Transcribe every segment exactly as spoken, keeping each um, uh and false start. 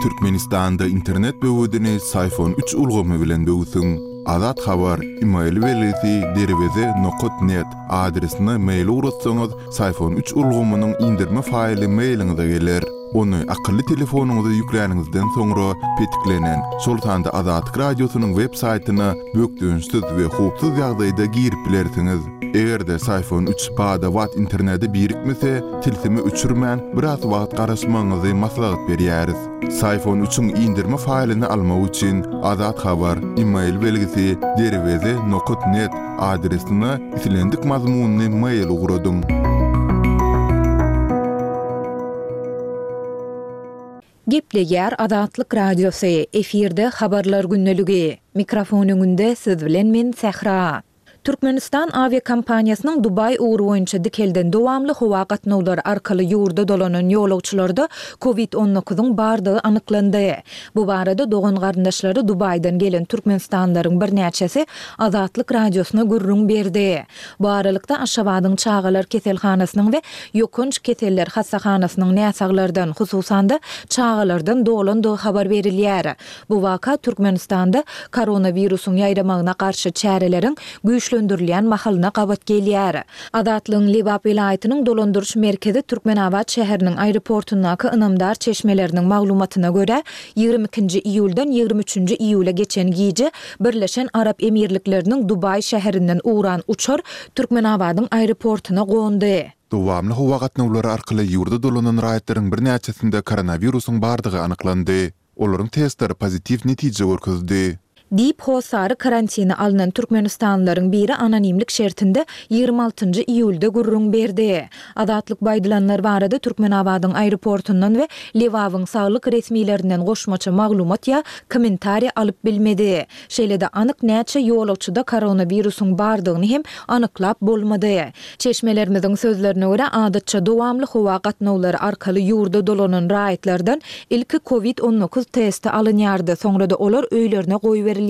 Türkmenistanda internet böwedini Syfon üç ulgamy bilen böwsüň. Azat Habar, email belgisi derweze nokat net adresine mail ugratsaňyz, Syfon üç ulgamynyň indirme faýly mailiňize geler. Ony akylly telefonyňyza ýükläniňizden soňra petiklenen, şol sanda Azatlyk Radiosynyň web saýtyna bökdençsiz we howpsuz ýagdaýda girip bilersiňiz. Eger-de Syfon üç bada-bat internete birikmese, tilsimi öçürmän biraz wagt garaşmagyňyzy maslahat berýäris. Syfon üçiň indirme faýlyny almak üçin Azat Habar, email belgisi derweze nokat net adresine islendik mazmunly mail ugradyň. Gepleýär Azatlyk Radiosy, efirde habarlar gündeligi. Mikrofon öňünde siz bilen men Sähra. Türkmenistan awiakompaniýasynyň Dubaý ugry boýunça dikelden dowamly howa gatnawlary arkaly ýurda dolanan ýolagçylarda COVID on dokuzyň bardygy anyklandy. Bu barada dogan garyndaşlary Dubaýdan gelen Türkmenistanlylaryň birnäçesi Azatlyk Radiosyna gürrüň berdi. Bu aralykda Aşgabadyň çagalar keselhanasynyň we ýokanç keseller hassahanasynyň näsaglardan, hususan-da çagalardan dolandygy habar berilýär. Bu waka Türkmenistanda koronawirusyň ýaýramagyna garşy çäreleriň güýçlendirilýän mahalyna gabat gelýär. Azatlygyň Lebap welaýatynyň dolandyryş merkezi Türkmenabat şäheriniň aeroportundaky ynamdar çeşmeleriniň maglumatyna görä, ýigrimi ikinji iýuldan ýigrimi üçünji iýula geçen gije Birleşen Arap Emirlikleriniň Dubaý şäherinden ugran uçar Türkmenabadyň aeroportuna gondy. Dowamly howa gatnawlary arkaly ýurda dolanan raýatlaryň birnäçesinde koronawirusyň bardygy anyklandy. Olaryň testleri pozitiw netije görkezdi. Diýip, hossary karantina alnan türkmenistanlylaryň biri anonimlik şertinde ýigrimi altynjy iýulda gürrüň berdi. Azatlyk bu aýdylanlar barada Türkmenabadyň aeroportundan we Lebabyň saglyk resmilerinden goşmaça maglumat ýa kommentariý alyp bilmedi. Şeýle-de anyk näçe ýolagçyda koronawirusyň bardygyny hem anyklap bolmady. Çeşmelerimiziň sözlerine görä, adatça dowamly howa gatnawlary arkaly ýurda dolanan raýatlardan ilki covid on dokuz testi alynýardy, soňra-da olar öýlerine goýberilýärdi.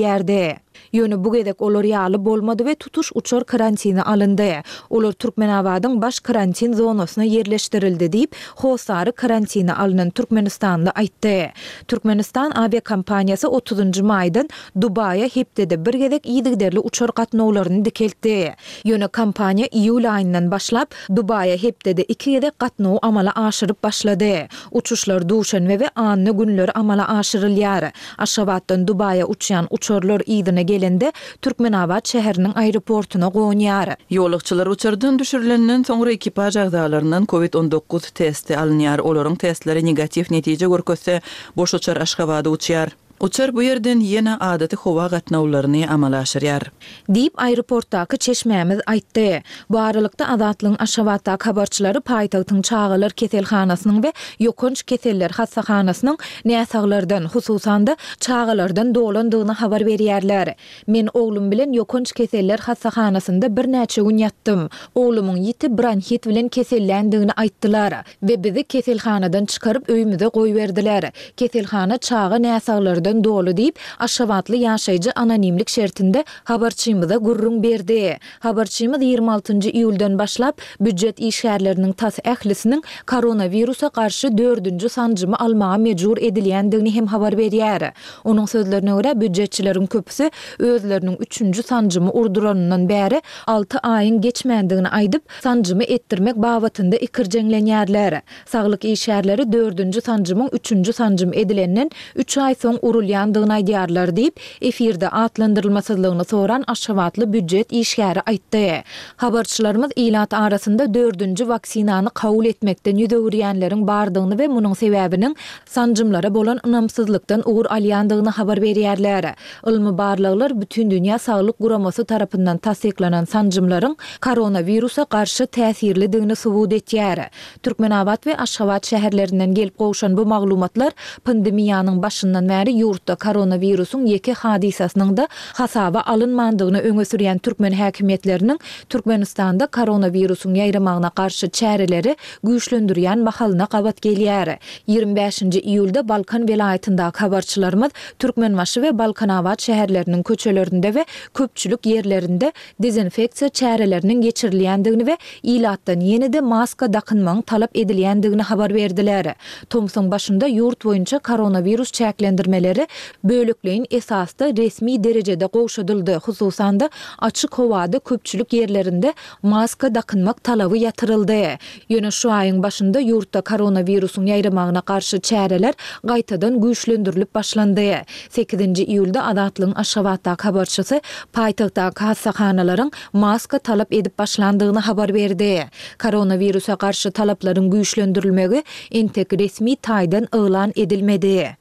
Ýöne bu gezek olar ýaly bolmady we tutuş uçar karantine alyndy. Olar Türkmenabadyň baş karantin zonasyna ýerleşdirildi diýip, hossary karantine alnan türkmenistanly aýtdy. Türkmenistan awiakompaniýasy otuzynjy maýdan Dubaýa hepdede bir gezek yzygiderli uçar gatnawlaryny dikeltdi. Ýöne kompaniýa iýul aýyndan başlap, Dubaýa hepdede iki gezek gatnawy amala aşyryp başlady. Uçuşlar duşenbe we anna günleri amala aşyrylýar. Aşgabatdan Dubaýa uçýan uçarlar yzyna gelende Türkmenabat şäheriniň aeroportuna gonýar. Ýolagçylar uçardan düşürilenden soňra ekipaž agzalaryndan COVID on dokuz testi alynýar. Olaryň testleri negatiw netije görkezse, boş uçar Aşgabada uçýar. Uçar bu ýerden ýene adaty howa gatnawlaryny amala aşyrýar. Diýip, aeroportdaky çeşmämiz aýtdy. Bu aralykda Azatlygyň Aşgabatdaky habarçylary paýtagtyň çagalar keselhanasynyň we ýokanç keseller hassahanasynyň näsaglardan, hususan-da, çagalardan dolandygyny habar berýärler. Men oglum bilen ýokanç keseller hassahanasynda birnäçe gün ýatdym. Oglumyň ýiti bronhit bilen keselländigini aýtdylar we bizi keselhanadan çykaryp öýümize goýberdiler. Keselhana çaga näsaglardan doly diýip, aşgabatly ýaşaýjy anonimlik şertinde habarçymyza gürrüň berdi. Habarçymyz ýigrimi altynjy iýuldan başlap býujet işgärleriniň tas ählisiniň koronawirusa garşy dördünji sanjymy almaga mejbur edilýändigini hem habar berýär. Onuň sözlerine görä, býujetçileriň köpüsi özleriniň üçünji sanjymy urduranyndan bäri alty aýyň geçmändigini aýdyp, sanjymy etdirmek babatynda ikirjeňlenýärler. Saglyk işgärleri dördünji sanjymyň üçünji sanjym edilenden üç aý soň urulýandygyny aýdýarlar diýip, efirde atlandyrylmasyzlygyny soran aşgabatly býujet işgäri aýtdy. Habarçylarymyz ilat arasynda dördünji waksinany kabul etmekden ýüz öwürýänleriň bardygyny we munuň sebäbiniň sanjymlara bolan ynamsyzlykdan ugur alýandygyny habar berýärler. Ylmy barlaglar Bütindünýä Saglyk Guramasy tarapyndan tassyklanan sanjymlaryň koronawirusa garşy täsirlidigini subut etýär. Türkmenabat we Aşgabat şäherlerinden gelip gowşan bu maglumatlar pandemiýanyň başyndan bäri ýurtda koronawirusyň ýeke hadysasynyň-da hasaba alynmandygyny öňe sürýän türkmen häkimiýetleriniň Türkmenistanda koronawirusyň ýaýramagyna garşy çäreleri güýçlendirýän mahalyna gabat gelýär. Ýigrimi bäşinji iýulda Balkan welaýatyndaky habarçylarymyz Türkmenbaşy we Balkanabat şäherleriniň köçelerinde we köpçülik ýerlerinde dezinfeksiýa çäreleriniň geçirilýändigini we ilatdan ýene-de maska dakynmagyň talap edilýändigini habar berdiler. Tomsuň başynda ýurt boýunça koronawirus çäklendirmeleri bölekleýin esasda resmi derejede gowşadyldy, hususan-da, açyk howada köpçülik ýerlerinde maska dakynmak talaby ýatyryldy. Ýöne şu aýyň başynda ýurtda koronawirusyň ýaýramagyna garşy çäreler gaýtadan güýçlendirilip başlandy. Sekizinji iýulda Azatlygyň Aşgabatdaky habarçysy paýtagtdaky hassahanalaryň maska talap edip başlandygyny habar berdi. Koronawirusa garşy talaplaryň güýçlendirilmegi entek resmi taýdan yglan edilmedi.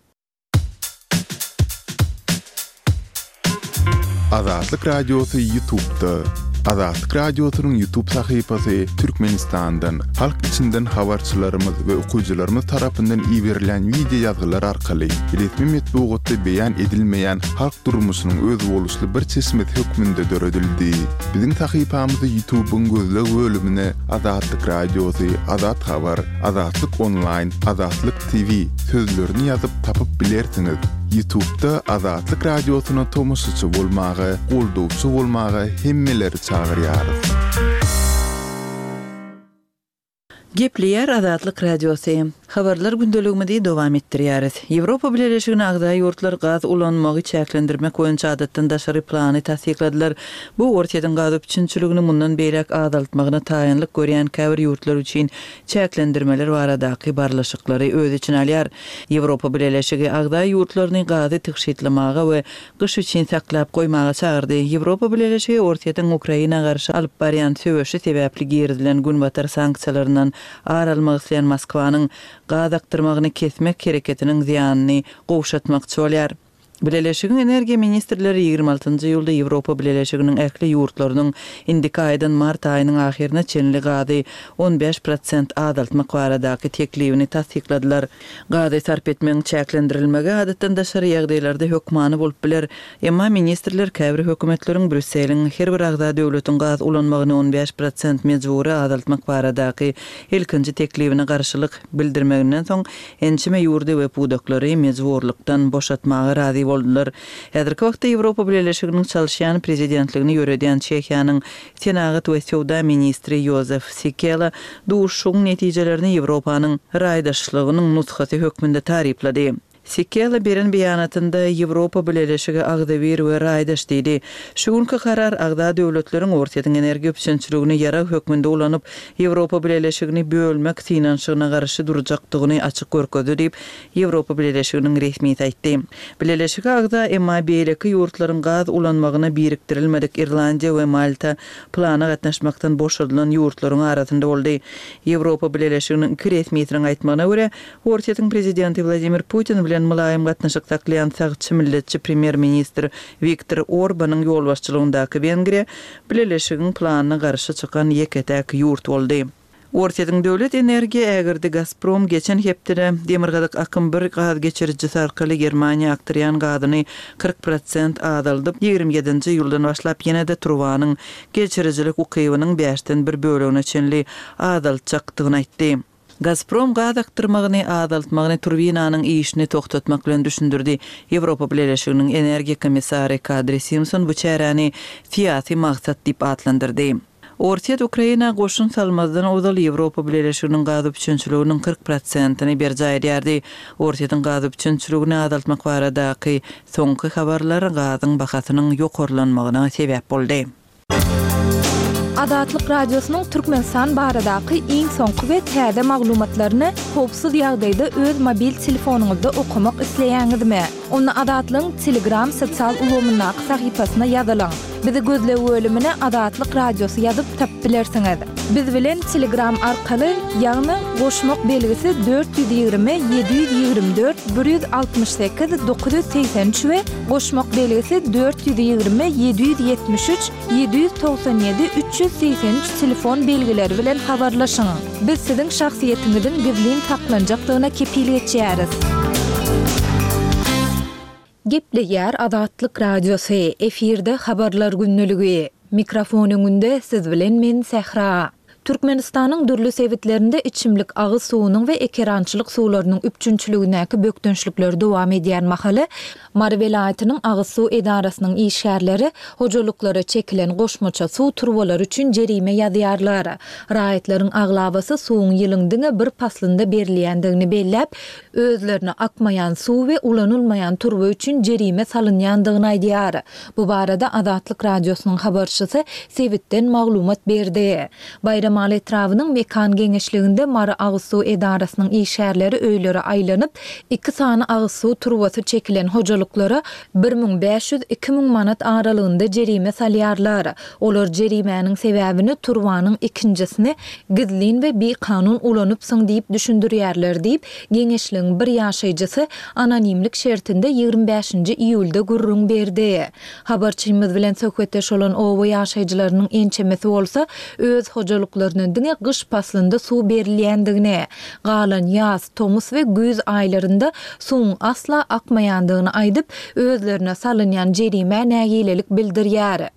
Azatlyk Radiosy Ýutubda. Azatlyk Radiosynyň Ýutub sahypasy Türkmenistandan, halk içinden habarçylarymyz we okyjylarymyz tarapyndan iberilýän wideo ýazgylar arkaly resmi metbugatda beýan edilmeýän halk durmuşynyň özboluşly bir çeşmesi hökmünde döredildi. Biziň sahypamyzy Ýutubyň gözleg bölümine Azatlyk Radiosy, Azat Habar, Azatlyk Onlaýn, Azatlyk TV sözlerini ýazyp tapyp bilersiňiz. Ýutubda Azatlyk Radiosyna tomaşaçy bolmaga, goldawçy bolmaga hemmeleri çagyrýarys. Gepleýär Azatlyk Radiosy. Habarlar gündeligimizi dowam etdirýäris. Ýewropa Bileleşigine agza ýurtlar gaz ulanmagy çäklendirmek boýunça adatdan daşary plany tassykladylar. Bu Orsýetiň gaz üpjünçiligini mundan beýläk azaltmagyna taýynlyk görýän käbir ýurtlar üçin çäklendirmeler baradaky barlyşyklary öz içine alýar. Ýewropa Bileleşigi agza ýurtlaryny gazy tygşytlamaga we gyş üçin saklap goýmaga çagyrdy. Ýewropa Bileleşigi Orsýetiň Ukraina garşy alyp barýan söweşi sebäpli girizilen Günbatar sanksiýalaryndan ar almak isleýän Moskwanyň gaz akdyrmagyny kesmek hereketiniň zyýanyny gowşatmakçy bolýar. Bileleşigiň energiýa ministrleri ýigrimi altynjy iýulda Ýewropa Bileleşiginiň ähli ýurtlarynyň indiki aýdan mart aýynyň ahyryna çenli gazy on bäş prosent azaltmak baradaky teklibini tassykladylar. Gazy sarp etmegiň çäklendirilmegi adatdan daşary ýagdaýlarda hökmany bolup biler. Emma ministrler käbir hökümetleriň Brýusseliň her bir agza döwletiň gaz ulanmagyny on bäş prosent mejbury azaltmak baradaky ilkinji teklibine garşylyk bildirmeginden soň ençeme ýurdy we pudaklary mejburlykdan boşatmaga razy boldular. Häzirki wagtda Ýewropa Bileleşiginiň çalyşýan prezidentligini ýöredýän Çehiýanyň senagat we söwda ministri Ýozef Sikela duşuşygyň netijelerini Ýewropanyň raýdaşlygynyň nusgasy hökmünde taryplady. Sikela beren beýanatynda Ýewropa Bileleşigi agzybir we raýdaş diýdi. Şu günki karar agza döwletleriň Orsýetiň energiýa üpjünçiligini ýarag hökmünde ulanyp, Ýewropa Bileleşigini bölmek synanyşygyna garşy durjakdygyny açyk görkezdi diýip, Ýewropa Bileleşiginiň resmisi aýtdy. Bileleşige agza, emma beýleki ýurtlaryň gaz ulanmagyna birikdirilmedik Irlandiýa we Malta plana gatnaşmakdan boşadylan ýurtlaryň arasynda boldy. Ýewropa Bileleşiginiň iki resmisiniň aýtmagyna görä, Orsýetiň prezidenti Wladimir Putin bilen mylaýym gatnaşyk saklaýan sagçy milletçi premýer-ministr Wiktor Orbanyň ýolbaşçylygyndaky Wengriýa Bileleşigiň planyna garşy çykan ýeke-täk ýurt boldy. Orsýetiň döwlet energiýa ägirdi Gazprom geçen hepdede Demirgazyk akym bir gaz geçirijisi arkaly Germaniýa akdyrýan gazyny kyrk prosent azaldyp, ýigrimi ýedinji iýuldan başlap ýene-de turbanyň geçirijilik ukybynyň bäşden bir bölegine çenli azaltjakdygyny aýtdy. Gazprom gaz akdyrmagyny azaltmagyny turbinanyň işini togtatmak bilen düşündirdi. Ýewropa Bileleşiginiň energiýa komissary Kadri Simson bu çäräni syýasy maksat diýip atlandyrdy. Orsýet Ukraina goşun salmazdan ozal Ýewropa Bileleşiginiň gaz üpjünçiliginiň kyrk prosentini berjaý edýärdi. Orsýetiň gaz üpjünçiligini azaltmak baradaky soňky habarlar gazyň bahasynyň ýokarlanmagyna sebäp boldy. Azatlyk Radiosynyň Türkmenistan baradaky iň soňky we täze maglumatlaryny howpsuz ýagdaýda öz mobil telefonyňyzda okamak isleýäňizmi? Onda Azatlygyň Telegram sosial ulgamyndaky sahypasyna ýazylyň. Bizi gözleg bölümine Azatlyk Radiosy ýazyp tapyp bilersiňiz. Biz bilen Telegram arkaly, ýagny goşmak belgisi dört ýüz ýigrimi ýedi ýüz ýigrimi dört bir ýüz altmyş sekiz dokuz ýüz segsen üç we goşmak belgisi dört ýüz ýigrimi ýedi ýüz ýetmiş üç ýedi ýüz togsan ýedi üç ýüz segsen üç telefon belgileri bilen habarlaşyň. Biz siziň şahsyýetiňiziň gizlin saklanjakdygyna kepil geçýäris. Gepleýär Azatlyk Radiosy, efirde Habarlar gündeligi. Mikrofon öňünde siz bilen men Sähra. Türkmenistanyň dürli sebitlerinde içimlik agyz suwunyň we ekerançylyk suwlarynyň üpjünçiligindäki bökdençlikler dowam edýän mahaly, Mary welaýatynyň agyz suw edarasynyň işgärleri hojalyklara çekilen goşmaça suw turbalary üçin jerime ýazýarlar. Raýatlaryň aglabasy suwuň ýylyň diňe bir paslynda berilýändigini belläp, özlerine akmaýan suw we ulanylmaýan turba üçin jerime salynýandygyny aýdýar. Bu barada Azatlyk Radiosynyň habarçysy sebitden maglumat berdi. Baýramaly etrabynyň Mekan geňeşliginde Mary agyz suw edarasynyň işgärleri öýlere aýlanyp, iki sany agyz suw turbasy çekilen hojalyklara bir müň bäş ýüz, iki müň manat aralygynda jerime salýarlar. Olar jerimäniň sebäbini turbanyň ikinjisini gizlin we bikanun ulanypsyň diýip düşündirýärler diýip, geňeşligiň bir ýaşaýjysy anonimlik şertinde ýigrimi bäşinji iýulda gürrüň berdi. Habarçymyz bilen söhbetdeş bolan oba ýaşaýjylarynyň ençemesi bolsa öz hojalyklaryna diňe gyş paslynda suw berilýändigini, galan ýaz, tomus we güýz aýlarynda suwuň asla akmaýandygyny aýdyp, özlerine salynýan jerimä nägilelik bildirýär.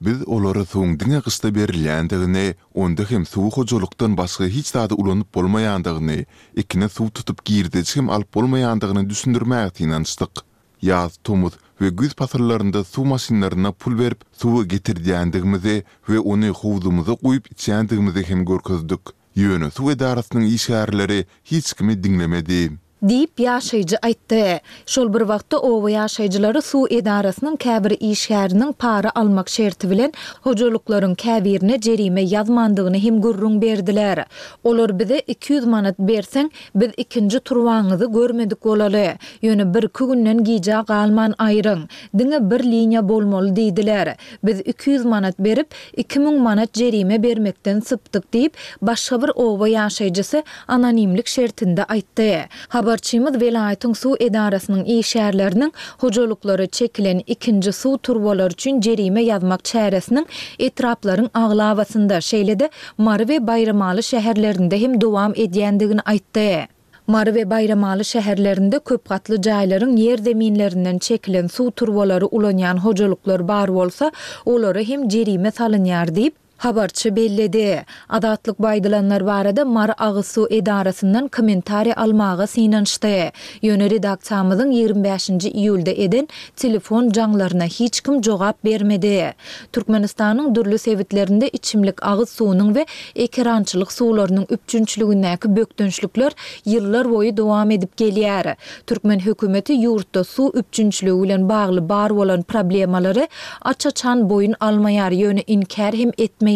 Biz olara suwuň diňe gyşda berilýändigini, onda hem suwy hojalykdan başga hiç zada ulanyp bolmaýandygyny, ekine suw tutup girdeji hem alyp bolmaýandygyny düşündirmäge synanyşdyk. Ýaz, tomus we güýz pasyllarynda suw maşynlaryna pul berip, suwy getirdýändigimizi we ony howzumyza guýup içýändigimizi hem görkezdik. Ýöne suw edarasynyň işgärleri hiç kimi diňlemedi. Diýip, ýaşaýjy aýtdy. Şol bir wagtda, oba ýaşaýjylary suw edarasynyň käbir işgäriniň para almak şerti bilen hojalyklaryň käbirine jerime ýazmandygyny hem gürrüň berdiler. Olar bize iki ýüz manat berseň, biz ikinji turbaňyzy görmedik bolaly. Ýöne birki günden gijä galman aýryň. Diňe bir liniýa bolmaly diýdiler. Biz iki ýüz manat berip, iki müň manat jerime bermekden sypdyk diýip, başga bir oba ýaşaýjysy anonimlik şertinde aýtdy. Habarçymyz welaýatyň suw edarasynyň işgärleriniň hojalyklara çekilen ikinji suw turbalary üçin jerime ýazmak çäresiniň etraplaryň aglabasynda, şeýle-de Mary we Baýramaly şäherlerinde hem dowam edýändigini aýtdy. Mary we Baýramaly şäherlerinde köpgatly jaýlaryň ýerzeminlerinden çekilen suw turbalary ulanýan hojalyklar bar bolsa, olara hem jerime salynýar diýip, habarçy belledi. Azatlyk bu aýdylanlar barada Mary agyz suw edarasyndan kommentariý almaga synanyşdy. Ýöne redaksiýamyzyň ýigrimi bäşinji iýulda eden telefon jaňlaryna hiç kim jogap bermedi. Türkmenistanyň dürli sebitlerinde içimlik agyz suwunyň we ekerançylyk suwlarynyň üpjünçiligindäki bökdençlikler ýyllar boýy dowam edip gelýär. Türkmen hökümeti ýurtda suw üpjünçiligi bilen bagly bar bolan problemalary aç-açan boýun almaýar, ýöne inkär hem etmeýär.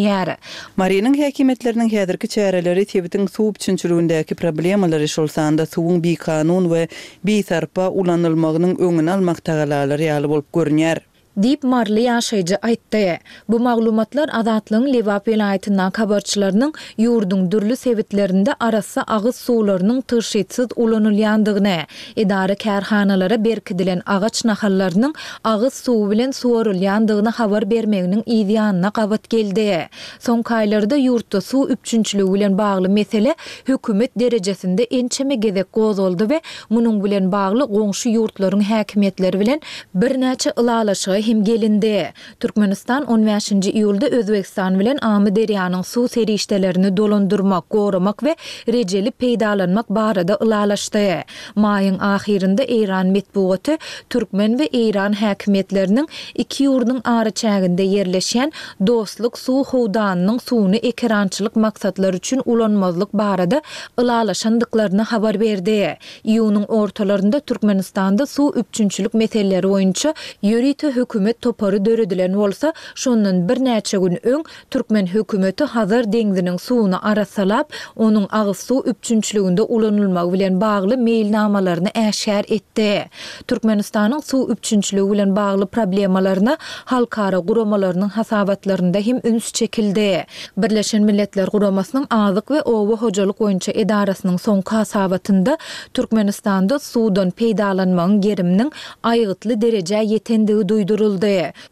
Marynyň häkimiýetleriniň häzirki çäreleri sebitiň suw üpjünçiligindäki problemalary, şol sanda suwuň bikanun we bisarpa ulanylmagynyň öňüni almak tagalalary ýaly bolup görünýär. Diýip, maryly ýaşaýjy aýtdy. Bu maglumatlar Azatlygyň Lebap welaýatyndaky habarçylarynyň ýurduň dürli sebitlerinde arassa agyz suwlarynyň tygşytsyz ulanylýandygyny, edara-kärhanalara berkidilen agaç nahallarynyň agyz suwy bilen suwarylýandygyny habar bermeginiň yz ýanyna gabat geldi. Soňky aýlarda ýurtda suw üpjünçiligi bilen bagly mesele hökümet derejesinde ençeme gezek gozgaldy we munuň bilen bagly goňşy ýurtlaryň häkimiýetleri bilen birnäçe ylalaşyga hem gelindi. Türkmenistan on bäşinji iýulda Özbegistan bilen Amyderýanyň suw serişdelerini dolandyrmak, goramak we rejeli peýdalanmak barada ylalaşdy. Maýyň ahyrynda eýran metbugaty türkmen we eýran häkimiýetleriniň iki ýurduň araçäginde ýerleşýän Dostluk suw howdanynyň suwuny ekerançylyk maksatlary üçin ulanmazlyk barada ylalaşandyklaryny habar berdi. Iýunyň ortalarynda Türkmenistanda suw üpjünçilik meseleleri boýunça ýörite hökümet topary döredilen bolsa, şondan birnäçe gün öň türkmen hökümeti Hazar deňziniň suwuny arassalap, onuň agyz suw üpjünçiliginde ulanylmagy bilen bagly meýilnamalaryny äşgär etdi. Türkmenistanyň suw üpjünçiligi bilen bagly problemalaryna halkara guramalarynyň hasabatlarynda hem üns çekildi. Birleşen Milletler Guramasynyň Azyk we oba hojalyk boýunça edarasynyň soňky hasabatynda Türkmenistanda suwdan peýdalanmagyň geriminiň aýgytly derejä ýetendigi duýduryldy.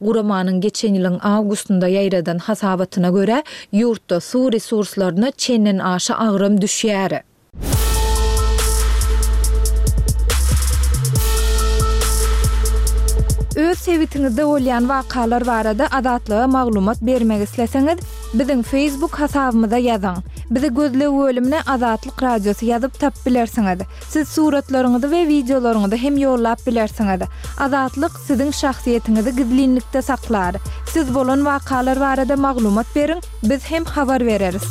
Guramanyň geçen ýylyň awgustynda ýaýradan hasabatyna görä, ýurtda suw resurslaryna çenden-aşa agram düşýär. Öz sebitiňizde bolýan wakalar barada Azatlyga maglumat bermek isleseňiz, biziň Facebook hasabymyza ýazyň. Bizi gözleg bölümine Azatlyk Radiosy ýazyp tapyp bilersiňiz. Siz suratlaryňyzy we wideolaryňyzy hem ýollap bilersiňiz. Azatlyk siziň şahsyýetiňizi gizlinlikde saklar. Siz bolan wakalar barada maglumat beriň, biz hem habar bereris.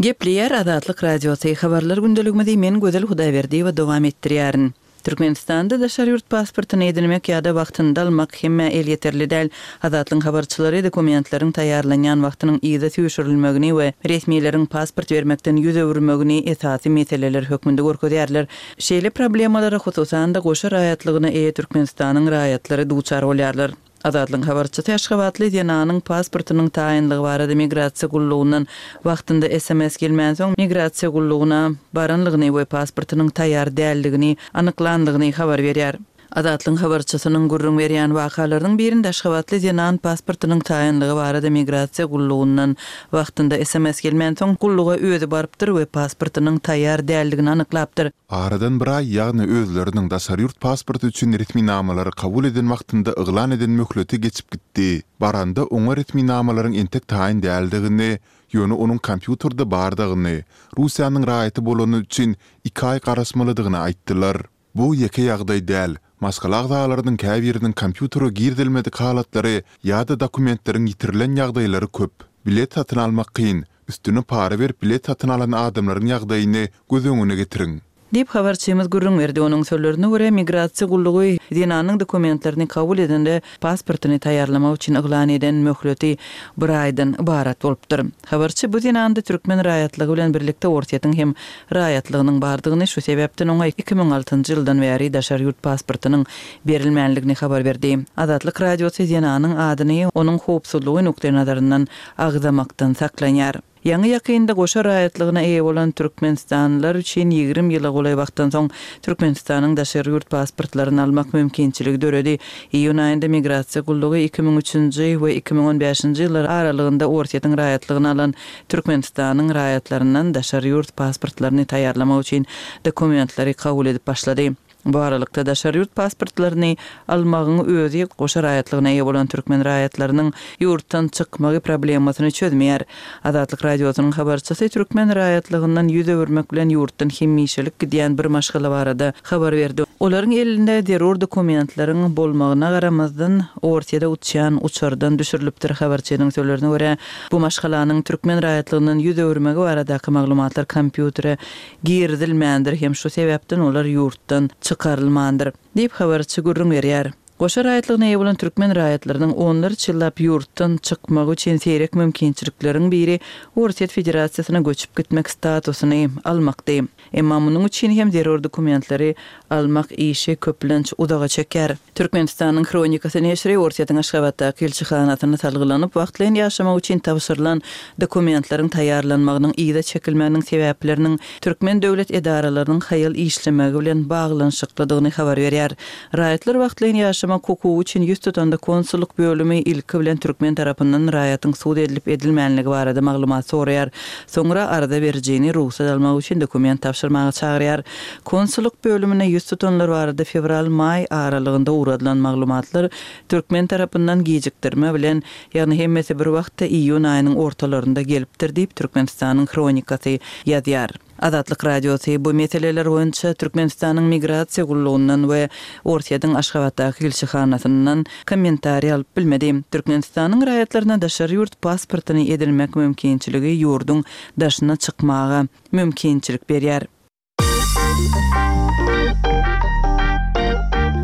Gepleýär Azatlyk Radiosy, Habarlar gündeligimizi men Gözel Hudaýberdiýewa dowam etdirýärin. Türkmenistanda daşary ýurt pasportyny edinmek ýa-da wagtynda almak hemmä elýeterli däl. Azatlygyň habarçylary dokumentleriň taýýarlanýan wagtynyň yza süýşürilmegini we resmileriň pasport bermekden ýüz öwürmegini esasy meseleler hökmünde görkezýärler. Şeýle problemalara hususan-da goşa raýatlygyna eýe Türkmenistanyň raýatlary duçar bolýarlar. Azatlygyň habarçysy aşgabatly zenanyň pasportynyň taýynlygy barada migrasiýa gullugyndan wagtynda S M S gelmänsoň migrasiýa gullugyna baranlygyny we pasportynyň taýýar däldigini anyklandygyny habar berýär. Azatlygyň habarçysynyň gürrüň berýän wakalarynyň birinde aşgabatly zenan pasportynyň taýynlygy barada migrasiýa gullugyndan wagtynda S M S gelmänsoň gulluga özi barypdyr we pasportynyň taýýar däldigini anyklapdyr. Aradan bir aý, ýagny özleriniň daşary ýurt pasporty üçin resminamalary kabul eden wagtynda yglan eden möhleti geçip gitdi. Baranda oňa resminamalaryň entek taýyn däldigini, ýöne onuň kompýuterde bardygyny, Russiýanyň raýaty bolany üçin iki aý garaşmalydygyny aýtdylar. Bu ýeke ýagdaý däl. Maşgala agzalarynyň käbiriniň kompýutere girizilmedik halatlary ýa-da dokumentleriň ýitirilen ýagdaýlary köp. Bilet satyn almak kyn. Üstüne para berip bilet satyn alan adamlaryň ýagdaýyny göz öňüne getiriň. Diýip habarçymyz gürrüň berdi. Onuň sözlerine görä, migrasiýa gullugy zenanyň dokumentlerini kabul edende pasportyny taýýarlamak üçin yglan eden möhleti bir aýdan ybarat bolupdyr. Habarçy bu zenanda türkmen raýatlygy bilen birlikde Orsýetiň hem raýatlygynyň bardygyny, şu sebäpden oňa iki müň altynjy ýyldan bäri daşary ýurt pasportynyň berilmänligini habar berdi. Azatlyk Radiosy zenanyň adyny onuň howpsuzlygy nukdaýnazaryndan agzamakdan saklanýar. Ýaňy ýakynda goşa raýatlygyna eýe bolan türkmenistanlylar üçin ýigrimi ýyla golaý wagtdan soň Türkmenistanyň daşary ýurt pasportlaryny almak mümkinçiligi döredi. Iýun aýynda migrasiýa gullugy iki müň üçünji we iki müň on bäşinji ýyllar aralygynda Orsýetiň raýatlygyny alan Türkmenistanyň raýatlaryndan daşary ýurt pasportlaryny taýýarlamak üçin dokumentleri kabul edip başlady. Bu aralykda daşary ýurt pasportlaryny almagyň özi goşa raýatlygyna eýe bolan türkmen raýatlarynyň ýurtdan çykmagy problemasyny çözmeýär. Azatlyk Radiosynyň habarçysy türkmen raýatlygyndan ýüz öwürmek bilen ýurtdan hemişelik gidýän bir maşgala barada habar berdi. Olaryň elinde zerur dokumentleriň bolmagyna garamazdan Orsýede uçýan uçardan düşürilipdir. Habarçynyň sözlerine görä, bu maşgalanyň türkmen raýatlygyndan ýüz öwürmegi baradaky maglumatlar kompýutere girizilmändir hem şu sebäpden olar ýurtdan çykarylmandyr diýip habarçy gürrüň berýär. Goşa raýatlygyna eýe bolan türkmen raýatlarynyň onlarça ýyllap ýurtdan çykmagy üçin seýrek mümkinçilikleriň biri Orsýet Federasiýasyna göçüp gitmek statusyny almakdy. Emma munuň üçin hem zerur dokumentleri almak işi köplenç uzaga çeker. Türkmenistanyň Hronikasy neşiri Orsýetiň Aşgabatdaky ilçihanasyna salgylanyp, wagtlaýyn ýaşamak üçin tabşyrylan dokumentleriň taýýarlanmagynyň yza çekilmeginiň sebäpleriniň türkmen döwlet edaralarynyň haýal işlemegi bilen baglanyşyklydygyny habar berýär. Raýatlar wagtlaýyn ýaşamak hukugy üçin ýüz tutanda konsullyk bölümi ilki bilen türkmen tarapyndan raýatyň sud edilip edilmänligi barada maglumat soraýar. Soňra arza berijini rugsat almak üçin dokument tabşyrmaga çagyrýar. Konsullyk bölümine ýüz tutanlar barada fewral-maý aralygynda ugradylan maglumatlar türkmen tarapyndan gijikdirme bilen, ýagny hemmesi bir wagtda iýun aýynyň ortalarynda gelipdir diýip Türkmenistanyň Hronikasy ýazýar. Azatlyk Radiosy bu meseleler boýunça Türkmenistanyň migrasiýa gullugyndan we Orsýetiň Aşgabatdaky ilçihanasyndan kommentariý alyp bilmedi. Türkmenistanyň raýatlaryna daşary ýurt pasportyny edinmek mümkinçiligi ýurduň daşyna çykmaga mümkinçilik berýär.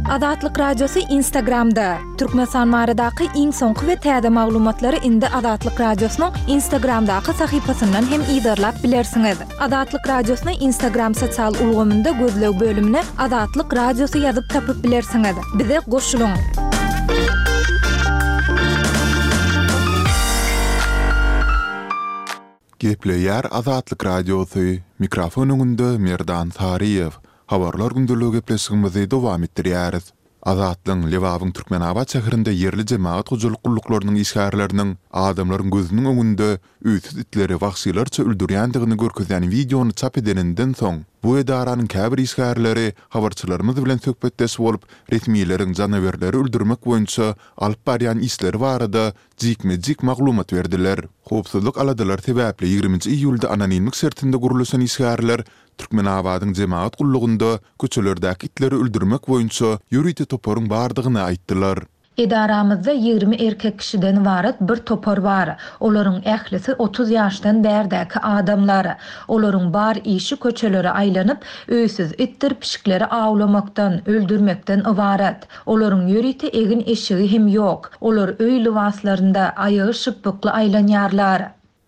Azatlyk Radiosy Instagramda. Türkmenistan baradaky iň soňky we täze maglumatlary indi Azatlyk Radiosynyň Instagramdaky sahypasyndan hem yzarlap bilersiňiz. Azatlyk Radiosyny Instagram sosial ulgamynda gözleg bölümine Azatlyk Radiosy ýazyp tapyp bilersiňiz. Bize goşulyň. Gepleýär Azatlyk Radiosy. Mikrofon öňünde Merdan Saryýew. Habarlar gündeligi gepleşigimizi dowam etdirýäris. Azatlygyň Lebabyň Türkmenabat şäherinde ýerli jemagat hojalyk gulluklarynyň işgärleriniň adamlaryň gözüniň öňünde öýsüz itleri wagşylarça öldürýändigini görkezýän wideony çap edeninden soň, Bu edaranyň käbir işgärleri habarçylarymyz bilen söhbetdeş bolup, resmileriň janawerleri öldürmek boýunça alyp barýan işleri barada jikme-jik maglumat berdiler. Howpsuzlyk aladalary sebäpli ýigriminji iýulda anonimlik şertinde gürleşen işgärler Türkmenabadyň jemagat gullugynda köçelerdäki itleri öldürmek boýunça ýörite toparyň bardygyny aýtdylar. Edaramyzda ýigrimi erkek kişiden ybarat bir topar bar. Olaryň ählisi otuz ýaşdan bärdäki adamlar. Olaryň bar işi köçelere aýlanyp, öýsüz itdir pişikleri awlamakdan, öldürmekden ybarat. Olaryň ýörite egin-eşigi hem ýok. Olar öý lybaslarynda, aýagy şypbykly aýlanýarlar.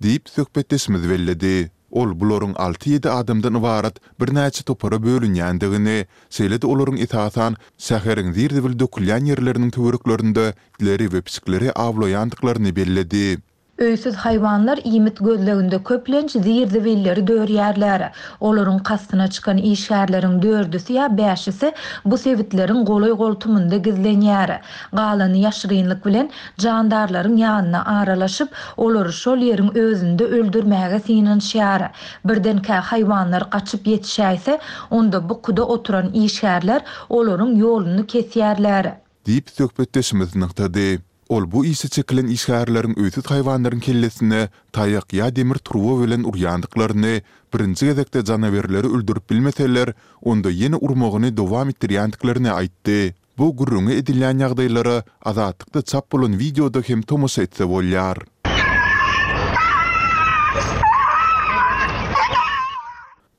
Diýip, söhbetdeşimiz belledi. Ol bularyň alty-ýedi adamdan ybarat birnäçe topara bölünýändigini, şeýle-de olaryň esasan şäheriň zir-zibil dökülýän ýerleriniň töwereklerinde itleri we pişikleri awlaýandyklaryny belledi. Öýsüz haýwanlar iýmit gözleginde köplenç zir-zibilleri dörýärler. Olaryň kastyna çykan işgärleriň dördüsi ýa bäşisi bu sebitleriň golaý-goltumynda gizlenýär. Galany ýaşyrynlyk bilen jandarlaryň ýanyna aralaşyp, olary şol ýeriň özünde öldürmäge synanyşýar. Birdenkä haýwanlar gaçyp ýetişäýse, onda bukuda oturan işgärler olaryň ýoluny kesýärler. Diýip, söhbetdeşimiz nygtady. Ol bu işe çekilen işgärleriň öýsüz haýwanlaryň kellesine taýak ýa demir turba bilen urýandyklaryny, birinji gezekde janawerleri öldürip bilmeseler, onda ýene urmagyny dowam etdirýändiklerini aýtdy. Bu gürrüňi edilýän ýagdaýlara Azatlykda çap bolan wideoda hem tomaşa etse bolýar.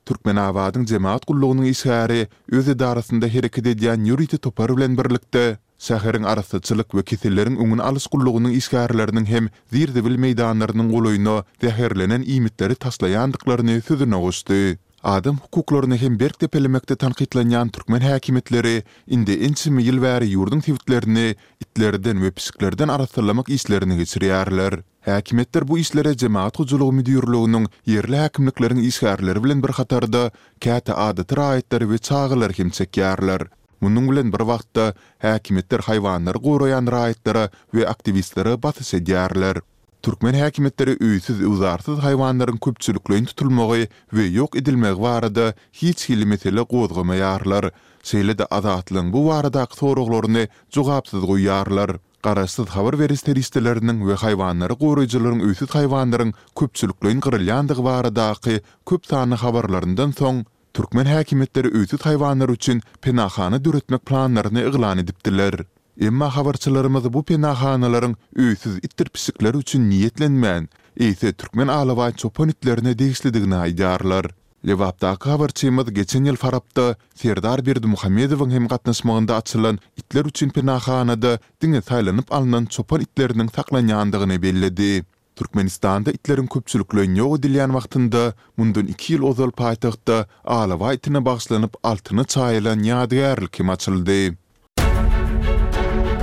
Türkmenabadyň jemagat gullugynyň işgäri öz edarasynda hereket edýän ýörite topar bilen birlikde, şäheriň arassaçylyk we keselleriň öňüni alyş gullugynyň işgärleriniň hem zir-zibil meýdanlarynyň golaýyna zäherlenen iýmitleri taşlaýandyklaryny sözüne goşdy. Adam hukuklaryny hem berk depelemekde tankytlanýan türkmen häkimiýetleri indi ençeme ýyl bäri ýurduň sebitlerini itlerden we pişiklerden arassalamak işlerini geçirýärler. Häkimiýetler bu işlere Jemagat hojalygy müdirliginiň, ýerli häkimlikleriň işgärleri bilen bir hatarda, käte adaty raýatlary we çagalary hem çekýärler. Munuň bilen bir wagtda, häkimiýetler haýwanlary goraýan raýatlara we aktiwistlere basyş edýärler. Türkmen häkimiýetleri öýsüz-öwzarsyz haýwanlaryň köpçülikleýin tutulmagy we ýok edilmegi barada hiç hili mesele gozgamaýarlar, şeýle-de Azatlygyň bu baradaky soraglaryny jogapsyz goýýarlar. Garaşsyz habar beriş serişdeleriniň we haýwanlary goraýjylaryň öýsüz haýwanlaryň köpçülikleýin gyrylýandygy baradaky köp sanly habarlaryndan soň, türkmen häkimiýetleri öýsüz haýwanlar üçin penahana döretmek planlaryny yglan edipdiler. Emma habarçylarymyz bu penahanalaryň öýsüz itdir pişikler üçin niýetlenmän, eýse türkmen alabaý çopan itlerine degişlidigini aýdýarlar. Lebapdaky habarçymyz geçen ýyl Farapda Serdar Berdimuhamedowyň hem gatnaşmagynda açylan itler üçin penahanada diňe saýlanyp alnan çopan itleriniň saklanýandygyny belledi. Türkmenistanda itleriň köpçülikleýin ýok edilýän wagtynda, mundan iki ýyl ozal paýtagtda alabaý itine bagyşlanyp altyna çaýylan ýadygärlik hem açyldy.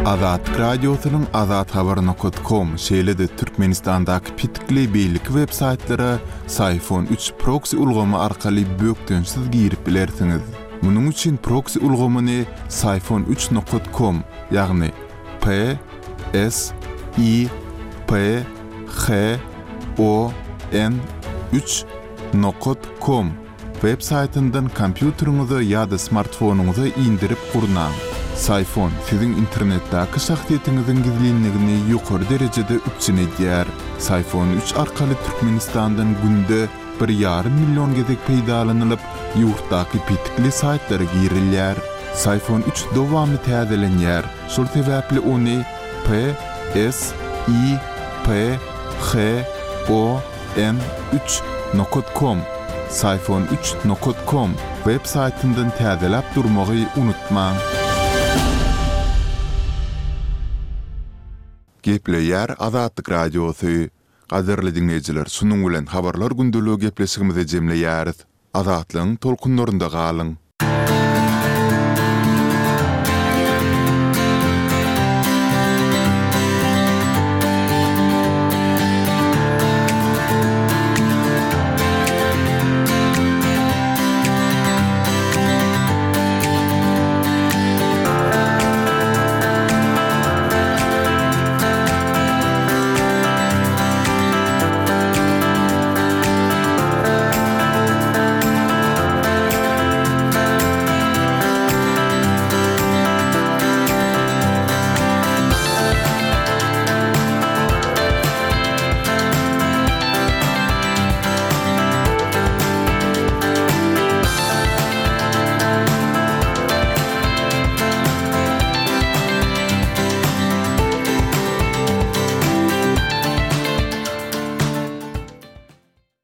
Azatlyk Radiosynyň azathabar nokat kom, şeýle-de Türkmenistandaky petikli beýleki web saýtlara Syfon üç proksi ulgamy arkaly bökdençsiz girip bilersiňiz. Munuň üçin proksi ulgamyny Syfon üç nokat kom, ýagny P S I P H O N üç nokat kom web saýtyndan kompýuteriňize ýa-da smartfonyňyza indirip gurnaň. Syfon siziň internetdäki şahsyýetiňiziň gizlinligini ýokary derejede üpjün edýär. Syfon üç arkaly Türkmenistandan günde bir ýarym million gezek peýdalanylyp, ýurtdaky petikli saýtlara girilýär. Syfon üç dowamly täzelenýär, şol sebäpli ony P S I P H O N üç nokat kom, Syfon üç nokat kom, web saýtyndan täzeläp durmagy unutmaň. Gepleýär Azatlyk Radiosy. Gadyrly diňleýjiler, şunuň bilen Habarlar gündeligi gepleşigimizi jemleýäris. Azatlygyň tolkunlarynda galyň!